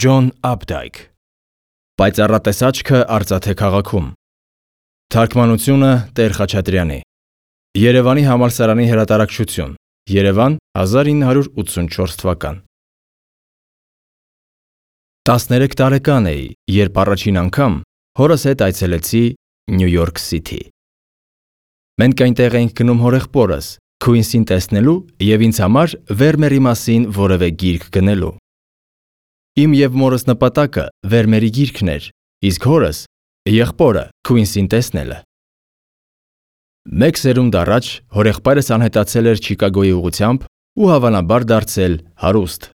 Ջոն Ափդայք Պայծառատես աչքը Արծաթե քաղաքում Թարգմանությունը Տեր Խաչատրյանի Երևանի համալսարանի հրատարակչություն Երևան 1984 թվական 13 տարեկան էի, երբ առաջին անգամ հորս հետ այցելեցի Նյու Յորք Սիթի։ Մենք այնտեղ էինք գնում հորեղբորս, Քուինսին տեսնելու և ինձ համար Վերմերի մասին որևէ գիրք գնելու։ Իմ և մորս նպատակը Վերմերի գիրքն էր, իսկ հորս եղբորը Քուինսին տեսնելը։ Մեկ սերունդ առաջ հորեղբայրս անհետացել էր Չիկագոյի ուղղությամբ ու հավանաբար դարձել հարուստ։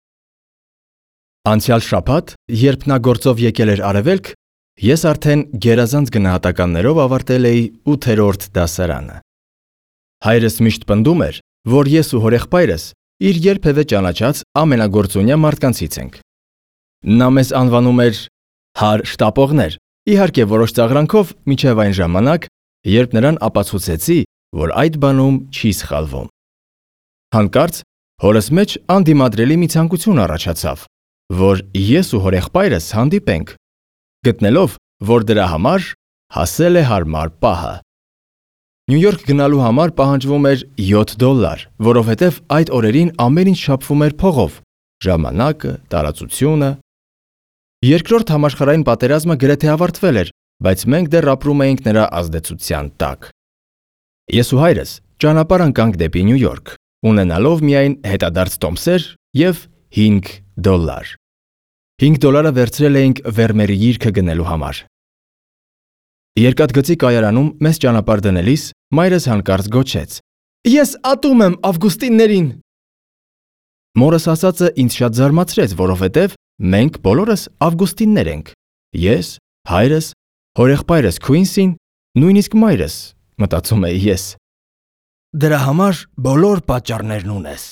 Անցյալ շաբաթ, երբ նա գործով եկել էր Արևելք, ես արդեն գերազանց գնահատականներով ավարտել էի 8-րդ դասարանը։ Հայրս միշտ պնդում էր, որ ես ու հորեղբայրս իր երբևէ ճանաչած ամենագործունյա մարդկանցից ենք։ Նա մեզ անվանում էր «հար շտապողներ», իհարկե որոշ ծաղրանքով մինչև այն ժամանակ, երբ նրան ապացուցեցի, որ այդ բանում չի սխալվում։ Հանկարծ հորս մեջ անդիմադրելի մի ցանկություն առաջացավ, որ ես ու հորեղբայրս հանդիպենք, գտնելով, որ դրա համար հասել է հարմար պահը։ Նյու Յորք գնալու համար պահանջվում էր $7, որովհետև այդ օրերին ամեն ինչ չափվում էր փողով՝ ժամանակը, տարածությունը։ Երկրորդ համաշխարհային պատերազմը գրեթե ավարտվել էր, բայց մենք դեռ ապրում էինք նրա ազդեցության տակ։ Ես ու հայրս ճանապարհ ընկանք դեպի Նյու Յորք, ունենալով միայն հետադարձ տոմսեր և $5։ $5 վերցրել էինք Վերմերի գիրքը գնելու համար։ Երկաթգծի կայարանում մեզ ճանապարհ դնելիս մայրս հանկարծ գոչեց. «Ես ատում եմ Ավգուստիններին»։ Մորս ասածը ինձ շատ զարմացրեց, որովհետև մենք բոլորս Ավգուստիններ ենք։ Ես, հայրս, հորեղբայրս Քուինսին, նույնիսկ մայրս, մտածում էի ես։ Դրա համար բոլոր պատճառներն ունես։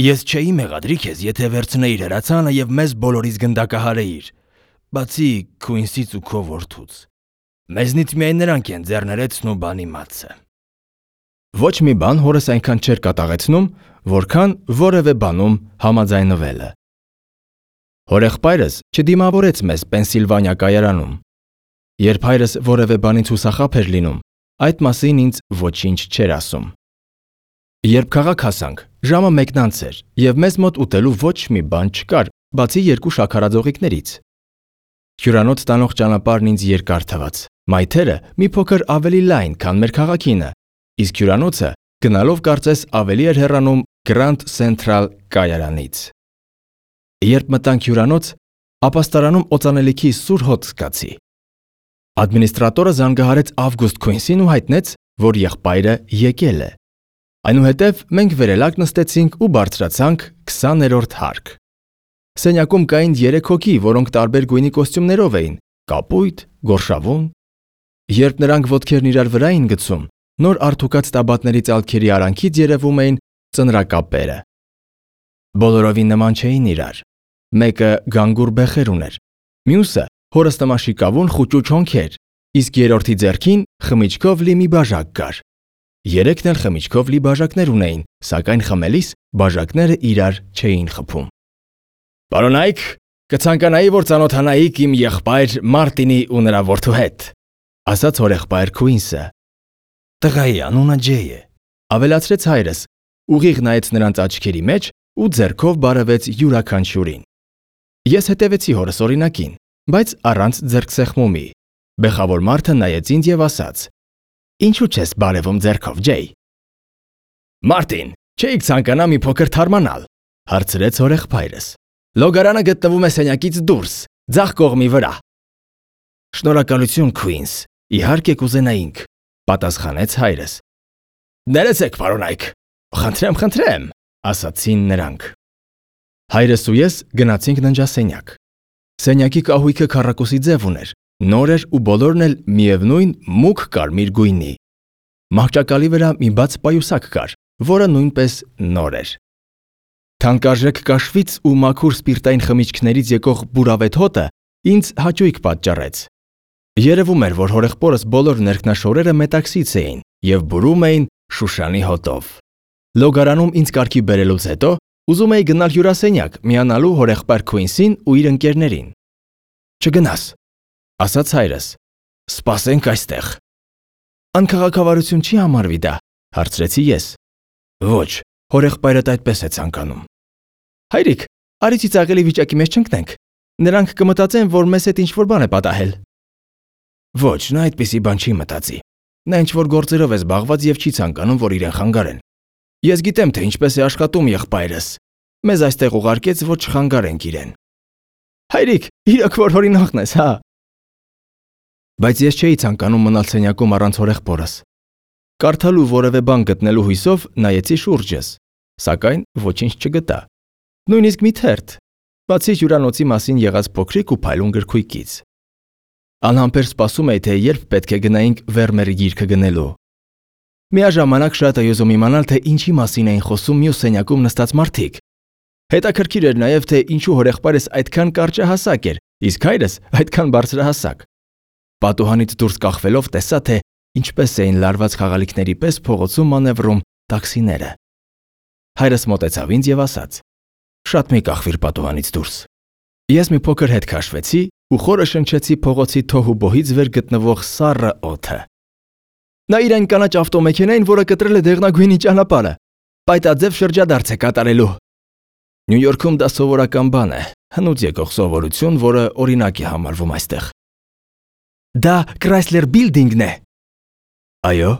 Ես չէի մեղադրի քեզ, եթե վերցնեիր հրացանը և մեզ բոլորիս գնդակահարեիր, բացի Քուինսից ու քո որդուց։ Մեզնից միայն նրանք են ձեռներեցն ու բանի մածը։ Ոչ մի բան հորս այնքան չէր կատաղեցնում, որքան որևէ բանում համաձայնվելը։ Հորեղբայրս չդիմավորեց մեզ Պենսիլվանիա կայարանում։ Երբ հայրս որևէ բանից հուսախաբ էր լինում, այդ մասին ինձ ոչինչ չէր ասում։ Երբ քաղաք հասանք, ժամը 1:00 էր, և մեզ մոտ ուտելու ոչ մի բան չկար, բացի 2 շաքարաձողիկներից։ Հյուրանոց տանող ճանապարհն ինձ երկար թվաց։ Մայթերը մի փոքր ավելի լայն, քան մեր քաղաքինը, իսկ հյուրանոցը գնալով կարծես ավելի էր հեռանում Grand Central կայարանից։ Երբ մտանք հյուրանոց, ապաստարանում օծանելիքի սուր հոտ զգացի։ Ադմինիստրատորը զանգահարեց Ավգուստ Քուինսին ու հայտնեց, որ եղբայրը եկել է։ Այնուհետև մենք վերելակ նստեցինք ու բարձրացանք 20-րդ հարկ։ Սենյակում կային 3 հոգի, որոնք տարբեր գույնի կոստյումներով էին՝ կապույտ, գորշավուն։ Երբ նրանք ոտքերն իրար վրա էին գցում, նոր արդուկած տաբատների ծալքերի արանքից երևում էին ծնրակապերը։ Բոլորովին նման չէին իրար։ Մեկը գանգուր բեխեր ուներ, մյուսը հորստամաշիկավուն խուճուճ հոնքեր, իսկ երրորդի ձեռքին խմիչքով լի մի բաժակ կար։ Երեքն էլ խմիչքով լի բաժակներ ունեին, սակայն խմելիս բաժակները իրար չէին խփում։ Պարոնայք, կցանկանայի, որ ծանոթանայիք իմ եղբայր Մարտինի ու նրա որդու հետ, ասաց հորեղբայր Քուինսը։ Տղայի անունը Ջեյ է, ավելացրեց հայրս, ուղիղ նայեց նրանց աչքերի մեջ ու ձեռքով բարևեց յուրաքանչյուրին։ Ես հետևեցի հորս օրինակին, բայց առանց ձեռքսեղմումի։ Բեխավոր մարդը նայեց ինձ և ասաց. Ինչու չես բարևում ձեռքով, Ջեյ։ Մարտին, չէիք ցանկանա մի փոքր թարմանալ, հարցրեց հորեղբայրս։ Լոգարանը գտնվում է սենյակից դուրս, ձախ կողմի վրա։ Շնորհակալություն, Քուինս, իհարկե կուզենայինք, պատասխանեց հայրս։ Ներեցեք, պարոնայք, խնդրեմ, ասացին նրանք։ Հայրս ու ես գնացինք ննջասենյակ։ Սենյակի կահույքը քառակուսի ձև ուներ, նոր էր ու բոլորն էլ միևնույն մուգ կարմիր գույնի։ Մահճակալի վրա մի բաց պայուսակ կար, որը նույնպես նոր էր։ Թանկարժեք կաշվից ու մաքուր սպիրտային խմիչքներից եկող բուրավետ հոտը ինձ հաճույք պատճառեց։ Երևում էր, որ հորեղբորս բոլոր ներքնաշորերը մետաքսից էին և բուրում էին Շուշանի հոտով։ Լոգարանում ինձ կարգի բերելուց հետո Ուզում էի գնալ հյուրասենյակ, միանալու հորեղբայր Քուինսին ու իր ընկերներին։ Չգնաս, ասաց հայրս։ Սպասենք այստեղ։ Անքաղաքավարություն չի համարվի դա, հարցրեցի ես։ Ոչ, հորեղբայրդ այդպես է ցանկանում։ Հայրիկ, արի ծիծաղելի վիճակի մեջ չընկնենք։ Նրանք կմտածեն, որ մեզ հետ ինչ-որ բան է պատահել։ Ոչ, նա այդպիսի բան չի մտածի։ Նա ինչ-որ գործերով է զբաղված եւ չի ցանկանում, որ իրեն խանգարեն։ Ես գիտեմ, թե ինչպես է աշխատում եղբայրս։ Մեզ այստեղ ուղարկեց, որ չխանգարենք իրեն։ Հայրիկ, իրոք որ օրինակն ես, հա։ Բայց ես չէի ցանկանում մնալ սենյակում առանց հորեղբորս։ Կարդալու որևէ բան գտնելու հույսով նայեցի շուրջս, սակայն ոչինչ չգտա։ Նույնիսկ մի թերթ, բացի հյուրանոցի մասին եղած փոքրիկ ու փայլուն գրքույկից։ Անհամբեր սպասում էի, թե երբ պետք է գնայինք Վերմերի գիրքը գնելու։ Միաժամանակ շատ էի ուզում իմանալ, թե ինչի մասին էին խոսում մյուս սենյակում նստած մարդիկ։ Հետաքրքիր էր նաև, թե ինչու հորեղբայրս այդքան կարճահասակ էր, իսկ հայրս այդքան բարձրահասակ։ Պատուհանից դուրս կախվելով տեսա, թե ինչպես էին լարված խաղալիքների պես փողոցում մանևրում տաքսիները։ Հայրս մոտեցավ ինձ եւ ասաց. Շատ մի կախվիր պատուհանից դուրս։ Ես մի փոքր հետ քաշվեցի ու խորը շնչեցի փողոցի թոհուբոհից վեր գտնվող սառը օդը։ Նա իր այն կանաչ ավտոմեքենային, որը կտրել է դեղնագույնի ճանապարհը, պայտաձև շրջադարձ է կատարելու։ Նյու Յորքում դա սովորական բան է, հնուց եկող սովորություն, որը օրինակ է համարվում այստեղ։ Դա Chrysler Building-ն է։ Այո,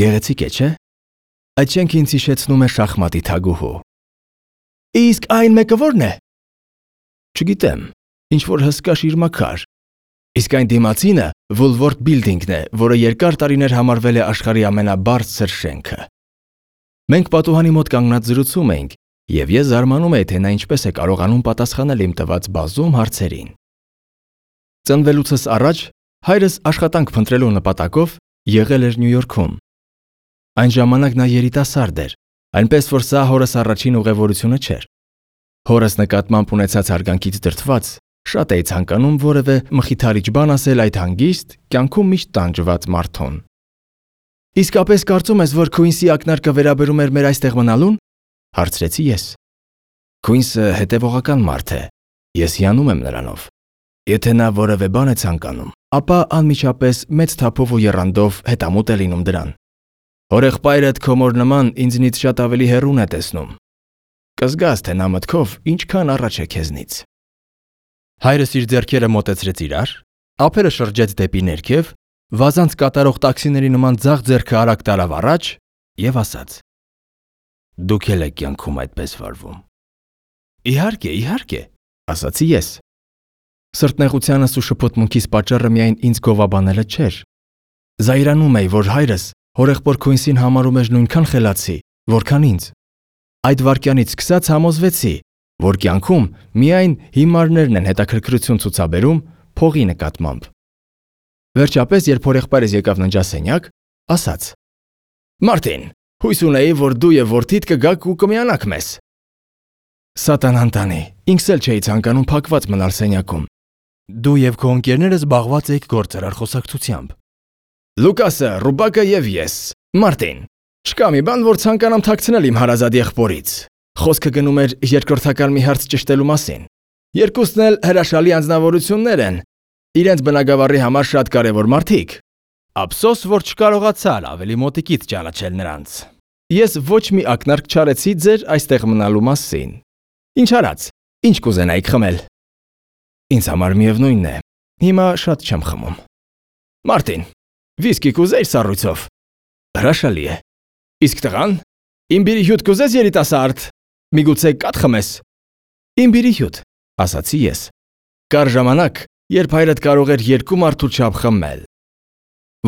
գեղեցիկ է, չէ՞։ Այդ շենքը ինձ հիշեցնում է շախմատի թագուհու։ Իսկ այն մեկը ո՞րն է։ Չգիտեմ, ինչ որ հսկա շիրմաքար։ Իսկ այն դիմացինը Woolworth Building-ն է, որը երկար տարիներ համարվել է աշխարհի ամենաբարձր շենքը։ Մենք պատուհանի մոտ կանգնած զրուցում էինք, եւ ես զարմանում էի, թե նա ինչպես է կարողանում պատասխանել իմ տված բազում հարցերին։ Ծնվելուցս առաջ հայրս աշխատանք փնտրելու նպատակով եղել էր Նյու Յորքում։ Այն ժամանակ նա երիտասարդ էր, այնպես որ սա հորս առաջին ուղևորությունը չէր։ Հորս նկատմամբ ունեցած հարգանքից դրդված շատ էի ցանկանում որևէ մխիթարիչ բան ասել այդ հանգիստ, կյանքում միշտ տանջված մարդուն։ Իսկապես կարծում ես, որ Քուինսի ակնարկը վերաբերում էր մեր այստեղ մնալուն։ Հարցրեցի ես։ Քուինսը հետևողական մարդ է։ Ես հիանում եմ նրանով։ Եթե նա որևէ բան է ցանկանում, ապա անմիջապես մեծ թափով ու եռանդով հետամուտ է լինում դրան։ Հորեղբայրդ քո մոր նման ինձնից շատ ավելի հեռուն է տեսնում։ Կզգաս, թե նա մտքով ինչքան առաջ է քեզնից։ Հայրս իր ձեռքերը մոտեցրեց իրար, ափերը շրջեց դեպի ներքև, վազանց կատարող տաքսիների նման ձախ ձեռքը արագ տարավ առաջ եւ ասաց. Դուք էլ եք կյանքում այդպես վարվում։ Իհարկե, իհարկե, ասացի ես։ Սրտնեղությանս ու շփոթմունքիս պատճառը միայն ինձ գովաբանելը չէր։ Զայրանում էի, որ հայրս հորեղբոր Քուինսին համարում էր նույնքան խելացի, որքան ինձ։ Այդ վայրկյանից սկսած համոզվեցի, որ կյանքում միայն հիմարներն են հետաքրքրություն ցուցաբերում փողի նկատմամբ։ Վերջապես, երբ հորեղբայրս եկավ ննջասենյակ, ասաց. Մարտին, հույս ունեի, որ դու եւ որդիդ կգաք ու կմիանաք մեզ։ Սատանան տանի, ինքս էլ չէի ցանկանում փակված մնալ սենյակում։ Դու եւ քո ընկերները զբաղված եք գործարար խոսակցությամբ։ Լուկասը, Ռուբակը եւ ես, Մարտին։ Չկա մի բան, որ ցանկանամ թաքցնել իմ հարազատ եղբորից։ Խոսքը գնում էր երկրորդական մի հարց ճշտելու մասին։ Երկուսն էլ հրաշալի անձնավորություններ են։ Իրենց բնագավառի համար շատ կարևոր մարդիկ։ Ափսոս, որ չկարողացար ավելի մոտիկից ճանաչել նրանց։ Ես ոչ մի ակնարկ չարեցի ձեր այստեղ մնալու մասին։ Ինչ արած, ինչ կուզենայիք խմել։ Ինձ համար միևնույնն է։ Հիմա շատ չեմ խմում։ Մարտին, վիսկի կուզեիր սառույցով։ Հրաշալի է։ Իսկ տղան, իմբիրի հյութ կուզես երիտասարդ։ Միգուցե կաթ խմես։ Իմբիրի հյութ, ասացի ես։ Կար ժամանակ, երբ հայրդ կարող էր երկու մարդու չափ խմել։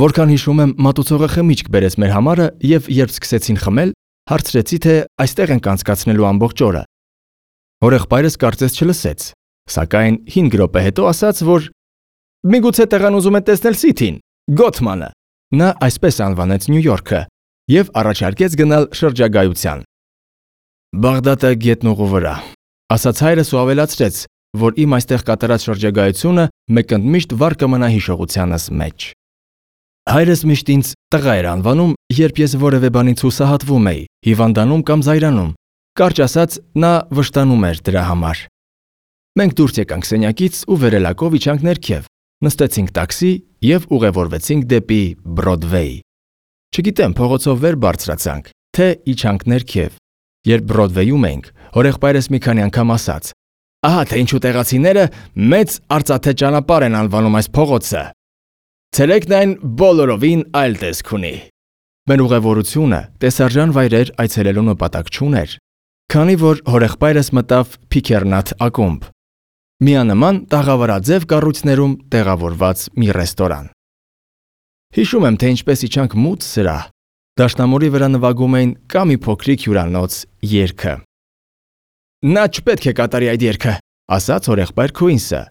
Որքան հիշում եմ, մատուցողը խմիչք բերեց մեր համարը եւ երբ սկսեցին խմել, հարցրեցի, թե այստեղ ենք անցկացնելու ամբողջ օրը։ Հորեղբայրս կարծես չլսեց, սակայն 5 րոպե հետո ասաց, որ միգուցե տեղան ուզում է տեսնել Սիթին, Գոթմանը։ Նա այսպես անվանեց Նյու Յորքը եւ առաջարկեց գնալ շրջագայության։ Բաղդադը գետնուղու վրա, ասաց հայրս ու ավելացրեց, որ իմ այստեղ կատարած շրջագայությունը մեկընդմիշտ վառ կմնա հիշողությանս մեջ։ Հայրս միշտ ինձ տղա էր անվանում, երբ ես որևէ բանից հուսահատվում էի, հիվանդանում կամ զայրանում, Կարճ ասած, նա վշտանում էր դրա համար։ Մենք դուրս եկանք սենյակից ու վերելակով իջանք ներքև, նստեցինք տաքսի և ուղևորվեցինք դեպի Բրոդվեյ։ Չգիտեմ, փողոցով վեր բարձրացանք, թե իջանք ներքև։ Երբ Բրոդվեյում էինք, հորեղբայրս մի քանի անգամ ասաց. «Ահա թե ինչու տեղացիները մեծ արծաթե ճանապարհ են անվանում այս փողոցը։ Ցերեկն այն բոլորովին այլ տեսք ունի»։ Մեր ուղևորությունը տեսարժան վայրեր այցելելու նպատակ չուներ, քանի որ հորեղբայրս մտավ Փիքերնաթ ակումբ, միանման տաղավարաձև կառույցներում տեղավորված մի ռեստորան։ Հիշում եմ, թե ինչպես իջանք մութ սրահ, դաշնամուրի վրա նվագում էին կա մի փոքրիկ հյուրանոց երգը։ «Նա չպետք է կատարի այդ երգը», ասաց հորեղբայր Քուինսը,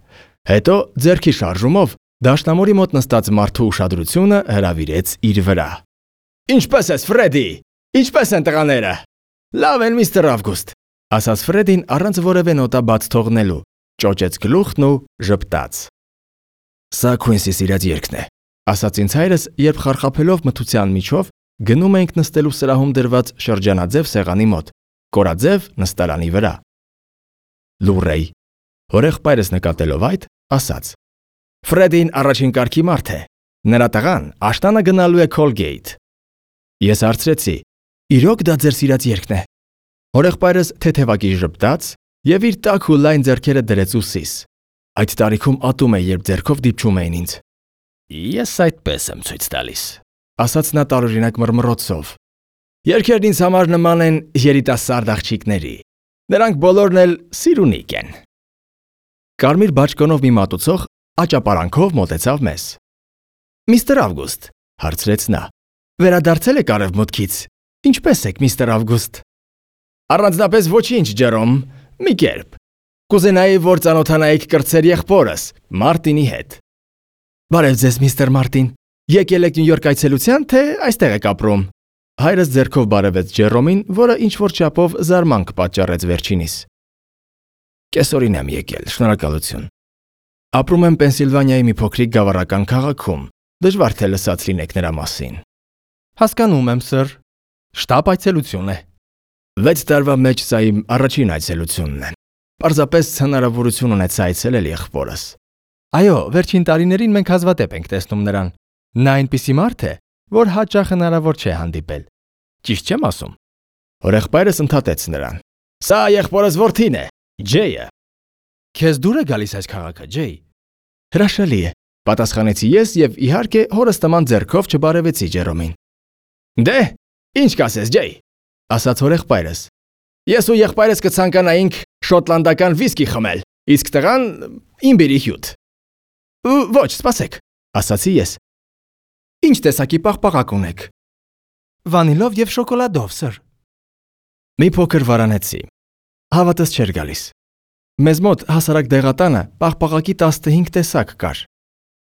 հետո ձեռքի շարժումով դաշնամուրի մոտ նստած մարդու ուշադրությունը հրավիրեց իր վրա։ «Ինչպե՞ս ես, Ֆրեդի, ինչպե՞ս են տղաները»։ «Լավ են, միստր Ավգուստ», ասաց Ֆրեդին առանց որևէ նոտա բաց թողնելու, ճոճեց գլուխն ու ժպտաց։ «Սա Քուինսի սիրած երգն է», ասաց ինձ հայրս, երբ խարխափելով մթության միջով գնում էինք նստելու սրահում դրված շրջանաձև սեղանի մոտ, կորաձև նստարանի վրա։ Լուրեյ, հորեղբայրս նկատելով այդ, ասաց. «Ֆրեդին առաջին կարգի մարդ է, նրա տղան աշտանը գնալու է Քոլգեյթ»։ Ես հարցրեցի. «Իրոք դա ձեր սիրած երգն է»։ Հորեղբայրս թեթևակի ժպտաց և իր տաք ու լայն ձեռքերը դրեց ուսիս։ Այդ տարիքում ատում էի, երբ ձեռքով դիպչում էին ինձ։ «Ես այդպես եմ ցույց տալիս», ասաց նա տարօրինակ մռմռոցով։ «Երգերն ինձ համար նման են երիտասարդ աղջիկների։ Նրանք բոլորն էլ սիրունիկ են»։ Կարմիր բաճկոնով մի մատուցող աճապարանքով մոտեցավ մեզ։ «Միստր Ավգուստ», հարցրեց նա, «վերադարձել եք արևմուտքից։ Ինչպե՞ս եք, միստր Ավգուստ»։ «Առանձնապես ոչինչ, Ջերոմ, մի կերպ։ Կուզենայի, որ ծանոթանայիք կրտսեր եղբորս, Մարտինի հետ»։ «Բարև ձեզ, միստր Մարտին։ Եկել եք Նյու Յորք այցելության, թե այստեղ եք ապրում»։ Հայրս ձեռքով բարևեց Ջերոմին, որը ինչ-որ չափով զարմանք պատճառեց վերջինիս։ «Կեսօրին եմ եկել, շնորհակալություն։ Ապրում եմ Պենսիլվանիայի մի փոքրիկ գավառական քաղաքում, դժվար թե լսած լինեք նրա մասին»։ «Հասկանում եմ, սըր։ Շտապ այցելություն է»։ 6 տարվա մեջ սա իմ առաջին այցելությունն է։ Պարզապես հնարավորություն ունեցա այցելել եղբորս։ «Այո, վերջին տարիներին մենք հազվադեպ ենք տեսնում նրան։ Նա այնպիսի մարդ է, որ հաճախ հնարավոր չէ հանդիպել։ Ճիշտ չեմ ասում»։ Հորեղբայրս ընդհատեց նրան. «Սա եղբորս որդին է, Ջեյը»։ «Քեզ դուր է գալիս այս քաղաքը, Ջեյ»։ «Հրաշալի է», պատասխանեցի ես և իհարկե հորս նման ձեռքով չբարևեցի Ջերոմին։ «Դե, ինչ կասես, Ջեյ», ասաց հորեղբայրս։ «Ես ու եղբայրս կցանկանայինք շոտլանդական վիսկի խմել, իսկ տղան իմբիրի հյութ»։ «Ոչ, սպասեք», ասացի ես։ «Ինչ տեսակի պաղպաղակ ունեք»։ «Վանիլով և շոկոլադով, սըր»։ Մի փոքր վարանեցի։ Հավատս չէր գալիս։ Մեզ մոտ հասարակ դեղատանը պաղպաղակի 15 տեսակ կար։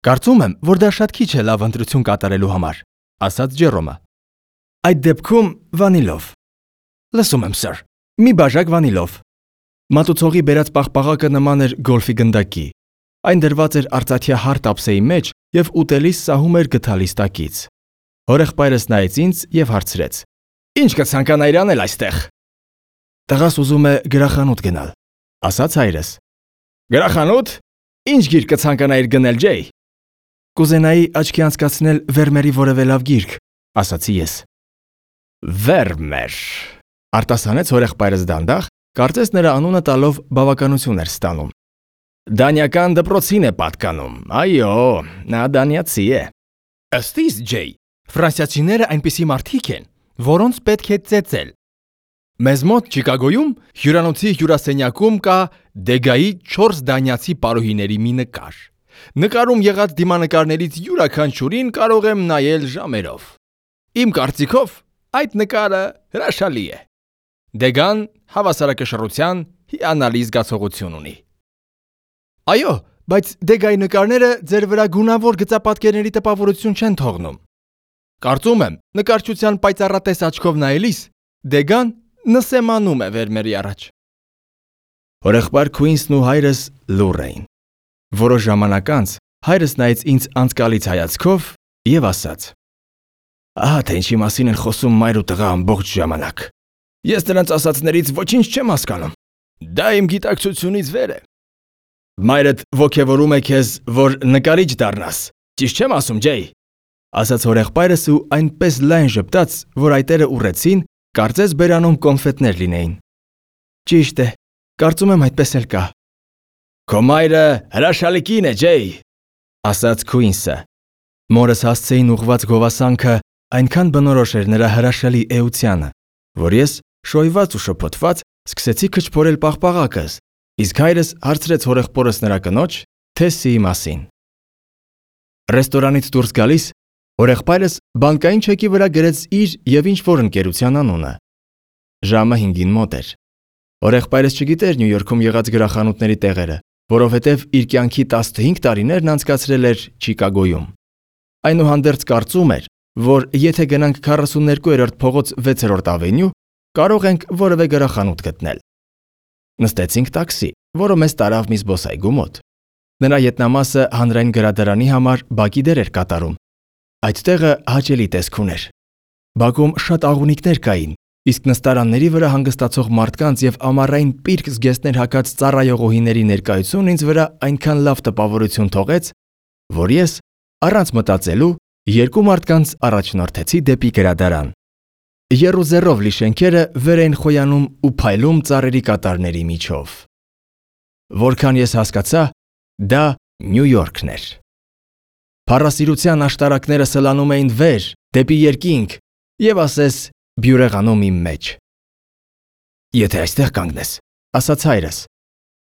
«Կարծում եմ, որ դա շատ քիչ է լավ ընտրություն կատարելու համար», ասաց Ջերոմը։ «Այդ դեպքում վանիլով»։ «Լսում եմ, սըր, մի բաժակ վանիլով»։ Մատուցողի բերած պաղպաղակը նման էր գոլֆի գնդակի։ Այն դրված էր արծաթյա հարթ ափսեի մեջ և ուտելիս սահում էր գդալիս տակից։ Հորեղբայրս նայեց ինձ և հարցրեց. «Ինչ կցանկանայիր անել այստեղ»։ «Տղաս ուզում է գրախանութ գնալ», ասաց հայրս։ «Գրախանութ։ Ինչ գիրք կցանկանայիր գնել, Ջեյ»։ «Կուզենայի աչքի անցկացնել Վերմերի որևէ լավ գիրք», ասացի ես։ «Վերմեր», արտասանեց հորեղբայրս դանդաղ, կարծես նրա անունը տալով բավականություն էր ստանում։ «Դանիական դպրոցին է պատկանում, այո, նա դանիացի է»։ «Ըստ իս, Ջեյ, ֆրանսիացիները այնպիսի մարդիկ են, որոնց պետք է ծեծել։ Մեզ մոտ Չիկագոյում հյուրանոցի հյուրասենյակում կա Դեգայի 4 դանիացի պարուհիների մի նկար։ Նկարում եղած դիմանկարներից յուրաքանչյուրին կարող եմ նայել ժամերով։ Իմ կարծիքով այդ նկարը հրաշալի է։ Դեգան հավասարակշռության հիանալի զգացողություն ունի»։ «Այո, բայց Դեգայի նկարները ձեր վրա գունավոր գծապատկերների տպավորություն չեն թողնում։ Կարծում եմ, նկարչության պայծառատես աչքով նայելիս Դեգան նսեմանում է Վերմերի առաջ»։ Հորեղբայր Քուինսն ու հայրս լուռ էին։ Որոշ ժամանակ անց հայրս նայեց ինձ անցկալից հայացքով և ասաց. «Ահա թե ինչի մասին են խոսում մայր ու տղա ամբողջ ժամանակ։ Ես նրանց ասածներից ոչինչ չեմ հասկանում։ Դա իմ գիտակցությունից վեր է։ Մայրդ ոգևորում է քեզ, որ նկարիչ դառնաս։ Ճիշտ չեմ ասում, Ջեյ, ասաց հորեղբայրս ու այնպես լայն ժպտաց, որ այտերը ուռեցին, կարծես բերանում կոնֆետներ լինեին։ Ճիշտ է, կարծում եմ այդպես էլ կա։ Քո մայրը հրաշալի կին է, Ջեյ, ասաց Քուինսը։ Մորս հասցեին ուղված գովասանքը այնքան բնորոշ էր նրա հրաշալի էությանը, որ ես շոյված ու շփոթված սկսեցի քչփորել պաղպաղակս, իսկ հայրս հարցրեց հորեղբորս նրա կնոջ Թեսիի մասին։ Ռեստորանից դուրս գալիս հորեղբայրս բանկային չեկի վրա գրեց իր եւ ինչ-որ ընկերության անունը։ Ժամը 5-ին մոտ էր։ Հորեղբայրս չգիտեր Նյու Յորքում եղած գրախանութների տեղերը, որովհետև իր կյանքի 15 տարիներն անցկացրել էր Չիկագոյում։ Այնուհանդերձ կարծում էր, որ եթե գնանք 42-րդ փողոց 6-րդ ավենյու, կարող ենք որևէ գրախանութ գտնել։ Նստեցինք տաքսի, որը մեզ տարավ մի զբոսայգու մոտ։ Նրա ետնամասը հանրային գրադարանի համար բակի դեր էր կատարում։ Այդ տեղը հաճելի տեսք ուներ։ Բակում շատ աղունիկներ կային, իսկ նստարանների վրա հանգստացող մարդկանց եւ ամառային պիրկ զգեստներ հագած ծառայողուհիների ներկայությունն ինձ վրա այնքան լավ տպավորություն թողեց, որ ես, առանց մտածելու, երկու մարդկանց առաջնորդեցի դեպի գրադարան։ Եռուզեռով լի շենքերը վեր էին խոյանում ու փայլում ծառերի կատարների միջով։ Որքան ես հասկացա, դա Նյու Յորքն էր։ Փառասիրության աշտարակները սլանում էին վեր, դեպի երկինք, եւ ասես բյուրեղանում իմ մեջ։ Եթե այստեղ կանգնես, ասաց հայրս,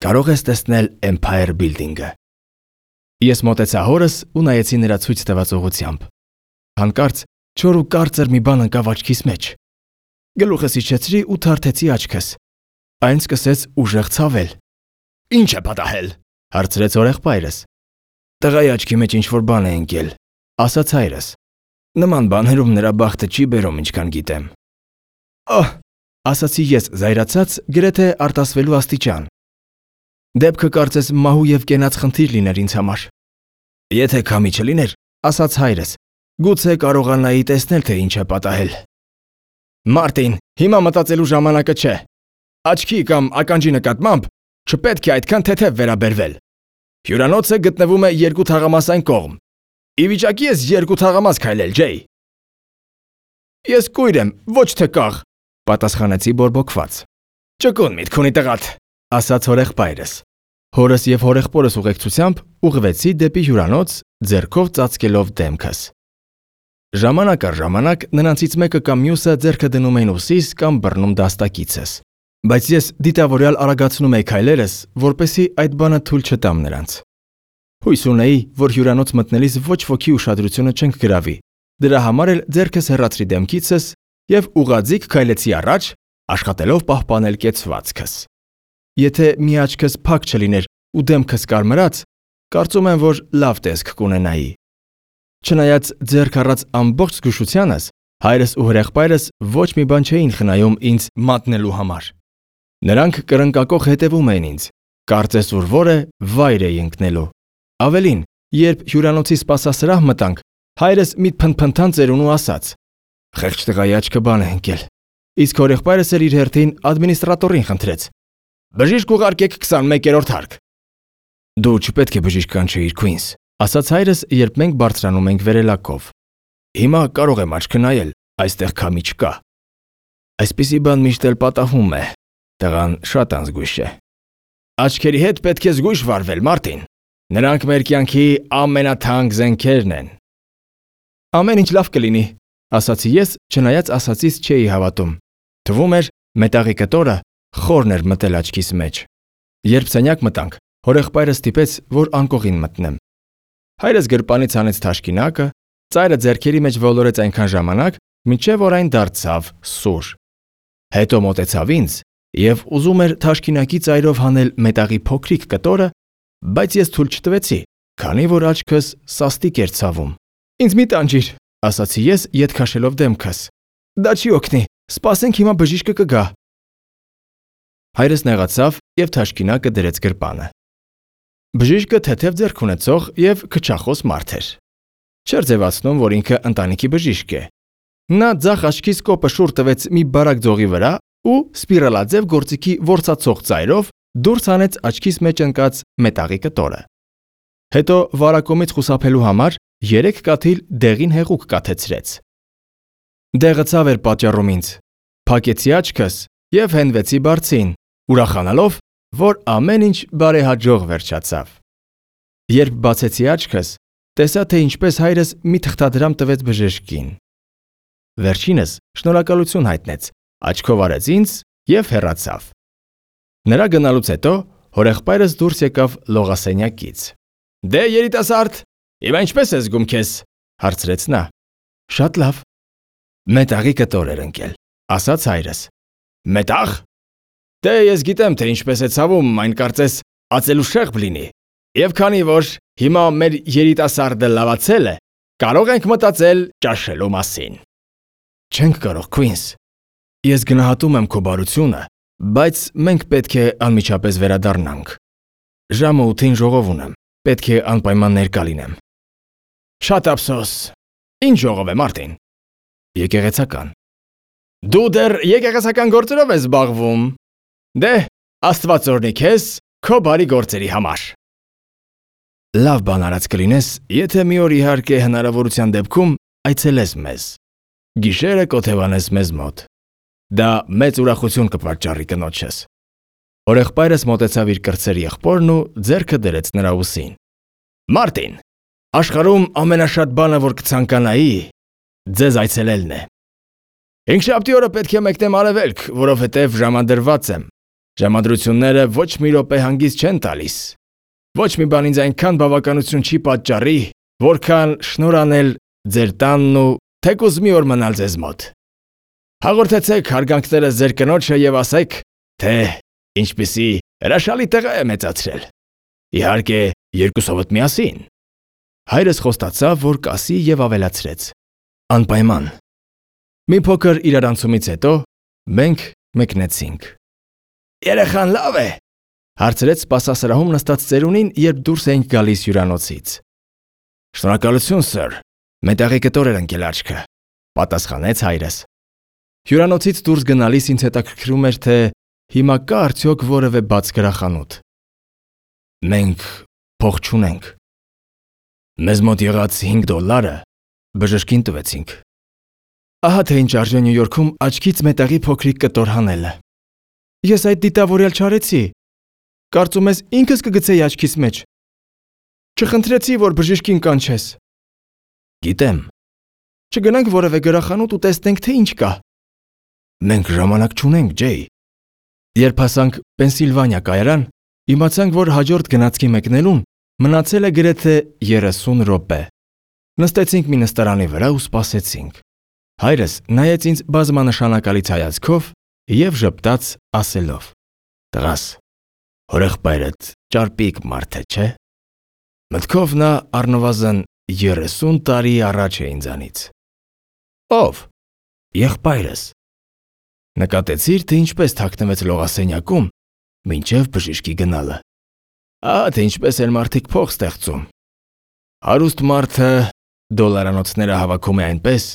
կարող ես տեսնել Empire Building-ը։ Ես մոտեցա հորս ու նայեցի նրա ցույց տված ուղղությամբ։ Հանկարծ չոր ու կարծր մի բան ընկավ աչքիս մեջ։ Գլուխս իջեցրի ու թարթեցի աչքս։ Այն սկսեց ուժեղ ցավել։ Ինչ է պատահել, հարցրեց հորեղբայրս։ Տղայի աչքի մեջ ինչ-որ բան է ընկել, ասաց հայրս։ Նման բաներում նրա բախտը չի բերում, ինչքան գիտեմ։ Ահ, ասացի ես զայրացած, գրեթե արտասվելու աստիճան։ Դեպքը կարծես մահու եւ կենաց խնդիր լիներ ինձ համար։ Եթե քամի չլիներ, ասաց հայրս, գուցե կարողանայի տեսնել, թե ինչ է պատահել։ Մարտին, հիմա մտածելու ժամանակը չէ։ Աչքի կամ ականջի նկատմամբ չպետք է այդքան թեթև վերաբերվել։ Հյուրանոցը գտնվում է երկու թաղամասային կողմ։ Ի վիճակի ես երկու թաղամաս քայլել, Ջեյ։ Ես կույր եմ, ոչ թե կաղ, պատասխանեցի բորբոքված։ Ճկուն միտք ունի տղատ, ասաց հորեղբայրս։ Հորս եւ հորեղբորս ուղեկցությամբ ուղղվեցի դեպի հյուրանոց, ձեռքով ծածկելով դեմքս։ Ժամանակ առ ժամանակ նրանցից մեկը կամ մյուսը ձեռքը դնում էին ուսիս կամ բռնում դաստակիցս, բայց ես դիտավորյալ արագացնում էի քայլերս, որպեսզի այդ բանը թույլ չտամ նրանց։ Հույս ունեի, որ հյուրանոց մտնելիս ոչ ոքի ուշադրությունը չենք գրավի։ Դրա համար էլ ձեռքս հեռացրի դեմքիցս եւ ուղղաձիգ քայլեցի առաջ, աշխատելով պահպանել կեցվածքս։ Եթե մի աչքս փակ չլիներ ու դեմքս կարմրած, կարծում եմ, որ լավ տեսք կունենայի։ Չնայած ձեռք առած ամբողջ զգուշությանս, հայրս ու հրեղբայրս ոչ մի բան չէին խնայում ինձ մատնելու համար։ Նրանք կրնկակող հետևում էին ինձ, կարծես ուր որը վայր էի ընկնելու։ Ավելին, երբ հյուրանոցի սպասասրահ մտանք, հայրս մի փնփնթան ծերուն ու ասաց. «Խեղճ տղայի աչքը բան է ընկել»։ Իսկ հորեղբայրս էլ իր հերթին ադմինիստրատորին խնդրեց. «Բժիշկ ուղարկեք 21-րդ հարկ»։ Դու չպետք է բժիշկ կանչեիր, Քուինս, ասաց հայրս, երբ մենք բարձրանում ենք վերելակով։ Հիմա կարող եմ աչքը նայել, այստեղ քամի չկա։ Այսպիսի բան միշտ էլ պատահում է։ Տղան շատ անզգույշ է։ Աչքերի հետ պետք է զգույշ վարվել, Մարտին։ Նրանք մեր կյանքի ամենաթանկ զենքերն են։ Ամեն ինչ լավ կլինի, ասացի ես, չնայած ասածից չէի հավատում։ Թվում էր, մետաղի կտորը խորն էր մտել աչքիս մեջ։ Երբ սենյակ մտանք, հորեղբայրս ստիպեց, որ անկողին մտնեմ։ Հայրս գրպանից հանեց թաշկինակը, ծայրը ձեռքերի մեջ ոլորեց այնքան ժամանակ, մինչև որ այն դարձավ սուր։ Հետո մոտեցավ ինձ եւ ուզում էր թաշկինակի ծայրով հանել մետաղի փոքրիկ կտորը, բայց ես թույլ չտվեցի, քանի որ աչքս սաստիկ էր ցավում։ Ինձ մի տանջիր, ասացի ես, ետ քաշելով դեմքս։ Դա չի օգնի, սպասենք հիմա բժիշկը կգա։ Հայրս նեղացավ եւ թաշկինակը դրեց գրպանը։ Բժիշկը թեթև ձեռք ունեցող եւ քչախոս մարդ էր։ Չէր ձևացնում, որ ինքը ընտանիքի բժիշկ է։ Նա ձախ աչքիս կոպը շուռ տվեց մի բարակ ձողի վրա ու սպիրալաձև գործիքի որսացող ծայրով դուրս հանեց աչքիս մեջ ընկած մետաղի կտորը։ Հետո վարակումից խուսափելու համար 3 կաթիլ դեղին հեղուկ կաթեցրեց։ Դեղը ցավ էր պատճառում ինձ։ Փակեցի աչքս եւ հենվեցի բարձին, ուրախանալով, որ ամեն ինչ բարեհաջող վերջացավ։ Երբ բացեցի աչքս, տեսա, թե ինչպես հայրս մի թղթադրամ տվեց բժշկին։ Վերջինս շնորհակալություն հայտնեց, աչքով արեց ինձ եւ հեռացավ։ Նրա գնալուց հետո հորեղբայրս դուրս եկավ լողասենյակից։ «Դե երիտասարդ, հիմա ինչպես ես զգում քեզ?» հարցրեց նա։ «Շատ լավ»։ «Մետաղի կտոր էր ընկել», ասաց հայրս։ «Մետաղ։ Դե ես գիտեմ, թե ինչպես է ցավում, այն կարծես ածելու շեղբ լինի։ Եվ քանի որ հիմա մեր երիտասարդը լավացել է, կարող ենք մտածել ճաշելու մասին»։ «Չենք կարող, Քվինս։ Ես գնահատում եմ քո բարությունը, բայց մենք պետք է անմիջապես վերադառնանք։ Ժամը 8-ին ժողով ունեմ, պետք է անպայման ներկա լինեմ»։ «Շատ ափսոս։ Ինչ ժողով է, Մարտին»։ «Եկեղեցական»։ «Դու դեռ եկեղեցական գործերով ես զբաղվում։ Դե, Աստված օրհնի քեզ քո բարի գործերի համար»։ «Լավ բան արած կլինես, եթե մի օր իհարկե հնարավորության դեպքում այցելես մեզ։ Գիշերը կօթևանես մեզ մոտ։ Դա մեծ ուրախություն կպատճառի կնոջս»։ Հորեղբայրս մոտեցավ իր կրտսեր եղբորն ու ձեռքը դրեց նրա ուսին։ «Մարտին, աշխարհում ամենաշատ բանը, որ կցանկանայի, ձեզ այցելելն է։ Հինգշաբթի օրը պետք է մեկնեմ արևելք, որովհետև ժամադրված եմ։ Ժամադրությունները ոչ մի րոպե հանգիստ չեն տալիս։ Ոչ մի բան ինձ այնքան բավականություն չի պատճառի, որքան շնորհ անել ձեր տանն ու թեկուզ մի օր մնալ ձեզ մոտ։ Հաղորդեցեք հարգանքներս ձեր կնոջը եւ ասեք, թե ինչպիսի հրաշալի տեղ է մեծացրել։ Իհարկե, երկուսովդ միասին»։ Հայրս խոստացավ, որ կասի եւ ավելացրեց. «Անպայման»։ Մի փոքր իրարանցումից հետո մենք մեկնեցինք։ «Երեխան լավ է», հարցրեց սպասասրահում նստած ծերունին, երբ դուրս էինք գալիս հյուրանոցից։ «Շնորհակալություն, սըր, մետաղի կտոր էր ընկել աչքը», պատասխանեց հայրս։ Հյուրանոցից դուրս գնալիս ինձ հետաքրքրում էր, թե հիմա կա արդյոք որևէ բաց գրախանութ։ Մենք փող չունենք։ Մեզ մոտ եղած $5 բժշկին տվեցինք։ Ահա թե ինչ արժե Նյու Յորքում աչքից մետաղի փոքրիկ կտոր հանելը։ Ես այդ դիտավորյալ չարեցի։ Կարծում ես ինքս կգցեի աչքիս մեջ։ Չխնդրեցի, որ բժշկին կանչես։ Գիտեմ։ Չգնանք որևէ գրախանութ ու տեսնենք, թե ինչ կա։ Մենք ժամանակ չունենք, Ջեյ։ Երբ հասանք Պենսիլվանիա կայարան, իմացանք, որ հաջորդ գնացքի մեկնելուն մնացել է գրեթե 30 րոպե։ Նստեցինք մի նստարանի վրա ու սպասեցինք։ Հայրս նայեց ինձ բազմանշանակալից հայացքով եւ ժպտաց ասելով. «Տղաս, հորեղբայրդ ճարպիկ մարդ է, չէ՞»։ Մտքով նա առնվազն 30 տարի առաջ է ինձանից։ Ո՞վ։ Եղբայրս։ Նկատեցիր, թե ինչպես թաքնվեց լողասենյակում, մինչև բժշկի գնալը։ Ահա թե ինչպես են մարդիկ փող ստեղծում։ Հարուստ մարդը դոլարանոցները հավաքում է այնպես,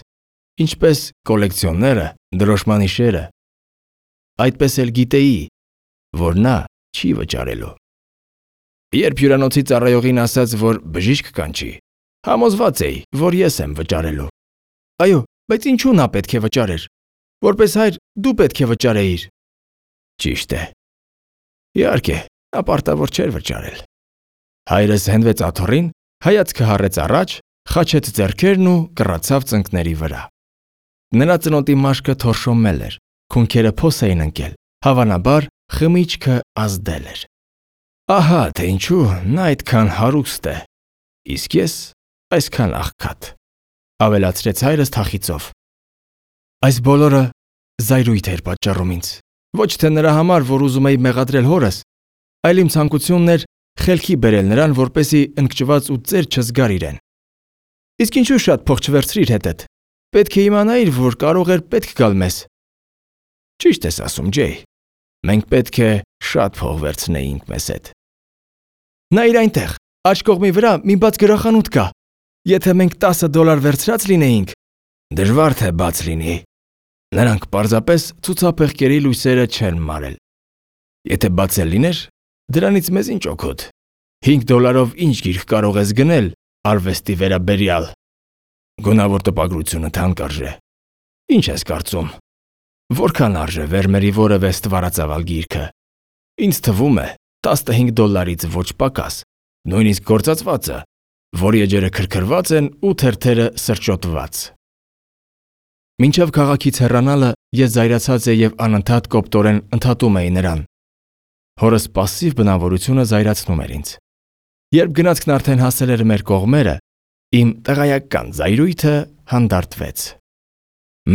ինչպես կոլեկցիոները դրոշմանիշերը։ Այդպես էլ գիտեի, որ նա չի վճարելու։ Երբ հյուրանոցի ծառայողին ասաց, որ բժիշկ կանչի, համոզված էի, որ ես եմ վճարելու։ Այո, բայց ինչու նա պետք է վճարեր։ Որպես հայր դու պետք է վճարեիր։ Ճիշտ է։ Իհարկե, նա պարտավոր չէր վճարել։ Հայրս հենվեց աթոռին, հայացքը հառեց առաջ, խաչեց ձեռքերն ու կռացավ ծնկների վրա։ Նրա ծնոտի մաշկը թորշոմել էր, քունքերը փոս էին ընկել, հավանաբար խմիչքը ազդել էր։ Ահա թե ինչու նա այդքան հարուստ է, իսկ ես այսքան աղքատ, ավելացրեց հայրս թախիծով։ Այս բոլորը զայրույթ էր պատճառում ինձ, ոչ թե նրա համար, որ ուզում էի մեղադրել հորս, այլ իմ ցանկությունն էր խելքի բերել նրան, որպեսզի ընկճված ու ծեր չզգար իրեն։ Իսկ ինչու շատ փող չվերցրիր հետդ։ Պետք է իմանայիր, որ կարող էր պետք գալ մեզ։ Ճիշտ ես ասում, Ջեյ։ Մենք պետք է շատ փող վերցնեինք մեզ հետ։ Նայիր այնտեղ, աջ կողմի վրա մի բաց գրախանութ կա։ Եթե մենք $10 վերցրած լինեինք, դժվար թե բաց լինի։ Նրանք պարզապես ցուցափեղկերի լույսերը չեն մարել։ Եթե բացել լիներ, դրանից մեզ ինչ օգուտ։ $5 ինչ գիրք կարող ես գնել արվեստի վերաբերյալ։ Գունավոր տպագրությունը թանկարժե։ Ինչ ես կարծում։ Որքան արժե Վերմերի որևէ ստվարածավալ գիրքը։ Ինձ թվում է $15-ից ոչ պակաս, նույնիսկ գործածվածը, որի էջերը քրքրված են ու թերթերը սրճոտված։ Մինչև քաղաքից հեռանալը ես զայրացած եւ անընդհատ կոպտորեն ընդհատում էի նրան։ Հորս պասսիվ բնավորությունը զայրացնում էր ինձ։ Երբ գնացքն արդեն հասել էր մեր կողմերը, իմ տղայական զայրույթը հանդարտվեց։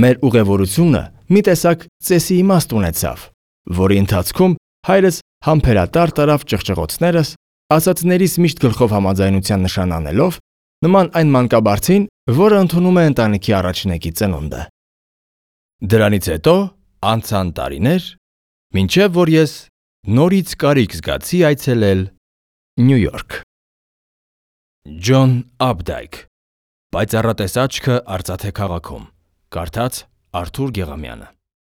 Մեր ուղևորությունը մի տեսակ ծեսի իմաստ ունեցավ, որի ընթացքում հայրս համբերատար տարավ ճղճղոցներս, ասածներիս միշտ գլխով համաձայնության նշան անելով, նման այն մանկաբարձին, որը ընդունում է ընտանիքի առաջնեկի ծնունդը։ Դրանից հետո անցան տարիներ, մինչև որ ես նորից կարիք զգացի այցելել Նյու Յորք։ Ջոն Աբդայք, Պայծառատես աչքը արծաթե քաղաքում, կարդաց Արթուր Գեղամյանը։